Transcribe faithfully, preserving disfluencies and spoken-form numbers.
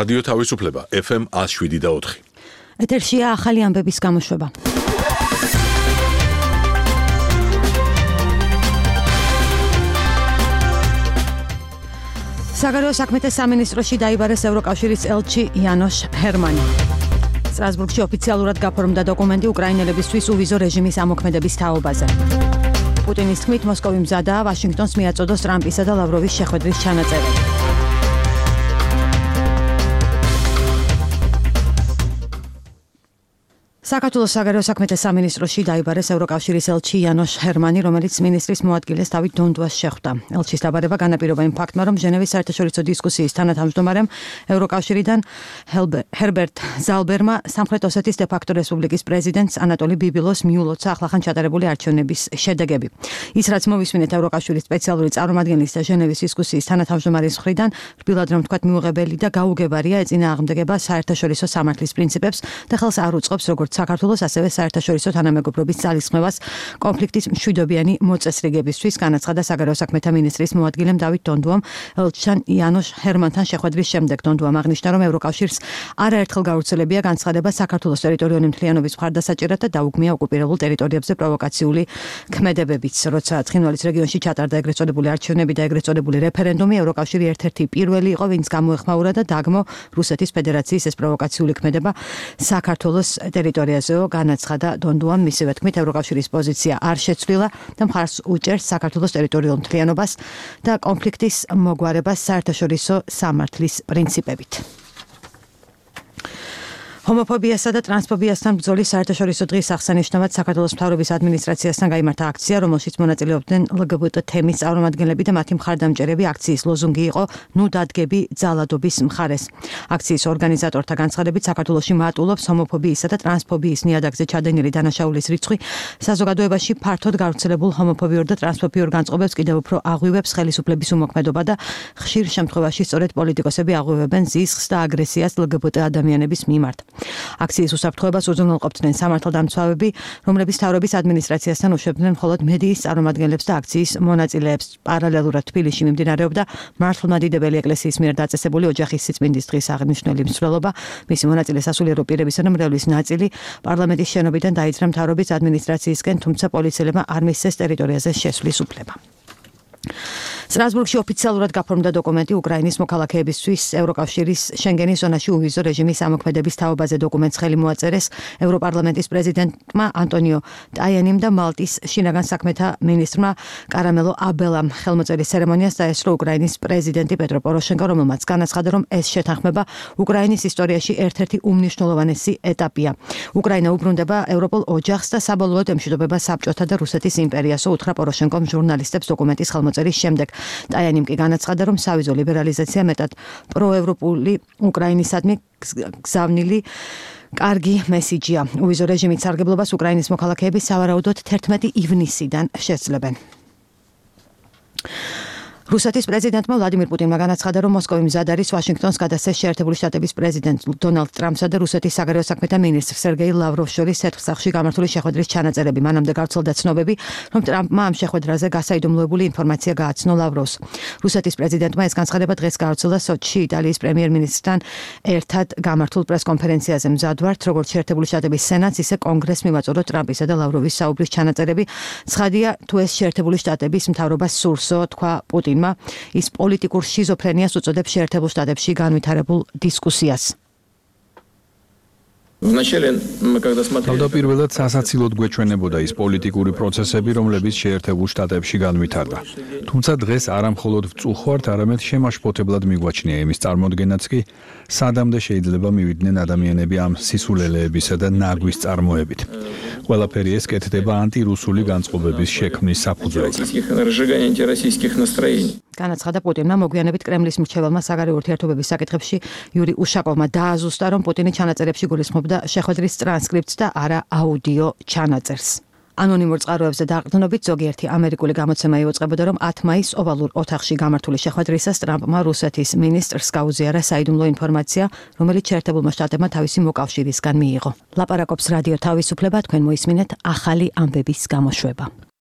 რადიო თავისუფლება ეფ ემ ათს შვიდი და ოთხი. ეთერშია ახალი ამბების გამოშვება. საგარეო საქმეთა სამინისტროში დაიბარეს ევროკავშირის ელჩი იანოშ ჰერმანი. სტრასბურგში ოფიციალურად გაფორმდა დოკუმენტი უკრაინელებისთვის უვიზო რეჟიმის ამოქმედების თაობაზე. პუტინის თქმით მოსკოვი მზადაა ვაშინგტონს მიაწოდოს ტრამპისა და ლავროვის შეხვედრის ჩანაწერი. საქართველოს საგარეო საქმეთა სამინისტროში დაიბარეს ევროკავშირის ელჩი იანოშ ჰერმანი, რომელიც მინისტრის მოადგილეს დავით დონდუას შეხვდა. ელჩის დაბადება განაპირობა იმ ფაქტმა, რომ ჟენევის საერთაშორისო დისკუსიის თანათავმჯდომარემ ევროკავშირიდან ჰერბერტ ზალბერმა სამხრეთ ოსეთის დე-ფაქტო რესპუბლიკის პრეზიდენტს ანატოლი ბიბილოს მიულოცა ახლახან ჩატარებული არჩევნების შედეგები. ის რაც მოვისმინეთ ევროკავშირის სპეციალური წარმომადგენლის და ჟენევის დისკუსიის თანათავმჯდომარის მხრიდან, რბილად რომ თქვათ მიუღებელი და გაუგებარია, ეწინააღმდეგება საერთაშორისო სამართლის პრინციპებს და ხელს არ უწყობს როგორც საქართველოს ასევე საერთაშორისო თანამეგობრობის ძალისხმევას კონფლიქტის მშვიდობიანი მოწესრიგებისთვის, განაცხადა საგარეო საქმეთა მინისტრის მოადგილემ დავით დონდუამ ელჩთან იანოშ ჰერმანთან შეხვედრის შემდეგ. დონდუამ აღნიშნა, რომ ევროკავშირს არაერთხელ გავრცელებია განცხადება საქართველოს ტერიტორიული მთლიანობის მხარდასაჭერად და დაუგმია ოკუპირებულ ტერიტორიებზე პროვოკაციული ქმედებებიც. როცა ცხინვალის რეგიონში ჩატარდა ეგრეთ წოდებული არჩევნები და ეგრეთ წოდებული რეფერენდუმი, ევროკავშირი ერთ-ერთი პირველი იყო, ვინც გამოეხმაურა და დაგმო რუსეთის ფედერაციის ეს პროვოკაციული ქმედება საქართველოს ტერიტორიაზე. განაცხადა დონდუამ, მისივე თქმით, ევროკავშირის პოზიცია არ შეცვლილა და მხარს უჭერს საქართველოს ტერიტორიულ მთლიანობას და კონფლიქტის მოგვარებას საერთაშორისო სამართლის პრინციპებით. ჰომოფობიასა და ტრანსფობიასთან ბრძოლის საერთაშორისო დღის აღსანიშნავად საქართველოს მთავრობის ადმინისტრაციასთან გაიმართა აქცია, რომელშიც მონაწილეობდნენ ელ გი ბი ტი თემის წარმომადგენლები და მათი მხარდამჭერები. აქციის ლოზუნგი იყო ნუ დადგები ძალადობის მხარეს. აქციის ორგანიზატორთა განცხადებით, საქართველოში მატულობს ჰომოფობიისა და ტრანსფობიის ნიადაგზე ჩადენილი დანაშაულის რიცხვი. საზოგადოებაში ფართოდ გავრცელებულ ჰომოფობიურ და ტრანსფობიურ განწყობებს კიდევ უფრო აღვივებს ხელისუფლების უმოქმედობა და ხშირ შემთხვევაში სწორედ პოლიტიკოსები აღვივებენ ზისხს და აგრესიას ელ გი ბი ტი ადამიანების მიმართ. აქციის უსაფრთხოებას უზრუნველყოფდნენ სამართალდამცავები, რომლებიც მთავრობის ადმინისტრაციასთან უშვებდნენ მხოლოდ მედიის წარმომადგენლებს და აქციის მონაწილეებს. პარალელურად თბილისში მიმდინარეობდა მართლმადიდებელი ეკლესიის მიერ დაწესებული ოჯახის სიწმინდის დღის აღნიშნული მსვლელობა. მისი მონაწილე სასულიერო პირებისა და მრევლის ნაწილი პარლამენტის შენობიდან დაიძრა მთავრობის ადმინისტრაციისკენ, თუმცა პოლიციელებმა არ მისცეს ტერიტორიაზე შესვლის უფლება. სტრასბურგში ოფიციალურად გაფორმდა დოკუმენტი უკრაინის მოქალაქეებისთვის ევროკავშირის შენგენის ზონაში უვიზო რეჟიმის ამოქმედების თაობაზე. დოკუმენტს ხელი მოაწერეს ევროპარლამენტის პრეზიდენტმა ანტონიო ტაიანიმ და მალტის შინაგან საქმეთა მინისტრმა კარამელო აბელამ. ხელმოწერის ცერემონიას დაესწრო უკრაინის პრეზიდენტი პეტრო პოროშენკო, რომელმაც განაცხადა, რომ ეს შეთანხმება უკრაინის ისტორიაში ერთ-ერთი უმნიშვნელოვანესი ეტაპია. უკრაინა უბრუნდება ევროპულ ოჯახს და საბოლოოდ ემშვიდობება საბჭოთა და რუსეთის იმპერიას, უთხრა პოროშენკომ ჟურნალისტებს დოკუმენტის ხელმოწერის შემდეგ. ტაიანიმ კი განაცხადა, რომ სავიზო ლიბერალიზაცია მეტად პროევროპული უკრაინისადმი გზავნილი კარგი მესიჯია. უვიზო რეჟიმით სარგებლობას უკრაინის მოქალაქეები სავარაუდოდ თერთმეტი ივნისიდან შესძლებენ. რუსეთის პრეზიდენტმა ვლადიმირ პუტინმა განაცხადა, რომ მოსკოვი მზად არის ვაშინგტონს გადასცეს შეერთებული შტატების პრეზიდენტ დონალდ ტრამპსა და რუსეთის საგარეო საქმეთა მინისტრ სერგეი ლავროვს შორის ცეცხლსახში გამართული შეხვედრის ჩანაწერები. მანამდე გავრცელდა ცნობები, რომ ტრამპმა ამ შეხვედრაზე გასაიდუმლოებული ინფორმაცია გააცნო ლავროვს. რუსეთის პრეზიდენტმა ეს განცხადება დღეს გავრცელდა სოჩში იტალიის პრემიერ-მინისტრთან ერთად გამართულ პრესკონფერენციაზე. მზად ვართ, როგორც შეერთებული შტატების სენატს, ისე კონგრესს მივაწოდოთ ტრამპისა და ლავროვის საუბრის ჩანაწერები. ცხადია, თუ ეს შეერთებული შტატების მთავრობას სურსო, თქვა პუტინმა. ის პოლიტიკურ შიზოფრენიას უწოდებს შეერთებულ შტატებში განვითარებულ დისკუსიას. თავდაპირველად სასაცილოდ გვეჩვენებოდა ის პოლიტიკური პროცესები, რომლებიც შეერთებულ შტატებში განვითარდა. თუმცა დღეს არა მხოლოდ ვწუხართ, არამედ შემაშფოთებლად მიგვაჩნია იმის წარმოდგენაც კი, სადამდე შეიძლება მივიდნენ ადამიანები ამ სისულელეებისა და ნაგვის წარმოებით. ყველაფერი ეს კეთდება ანტირუსული განწყობების შექმნის საფუძველზე. განაცხადა პუტინმა. მოგვიანებით კრემლის მრჩეველმა საგარეო ურთიერთობების საკითხებში იური უშაკოვმა დააზუსტა, რომ პუტინი ჩანაწერებში გულისხმობდა შეხვედრის ტრანსკრიპტს და არა აუდიო ჩანაწერს. ანონიმურ წყაროებზე დაყრდნობით ზოგიერთი ამერიკული გამოცემა იუწყებოდა, რომ ათი მაისს ოვალურ ოთახში გამართული შეხვედრისას ტრამპმა რუსეთის მინისტრს გაუზიარა საიდუმლო ინფორმაცია, რომელიც შეერთებულმა შტატებმა თავისი მოკავშირისგან მიიღო. ლაპარაკობს რადიო თავისუფლება, თქვენ მოისმინეთ ახალი ამბების გამოშვება.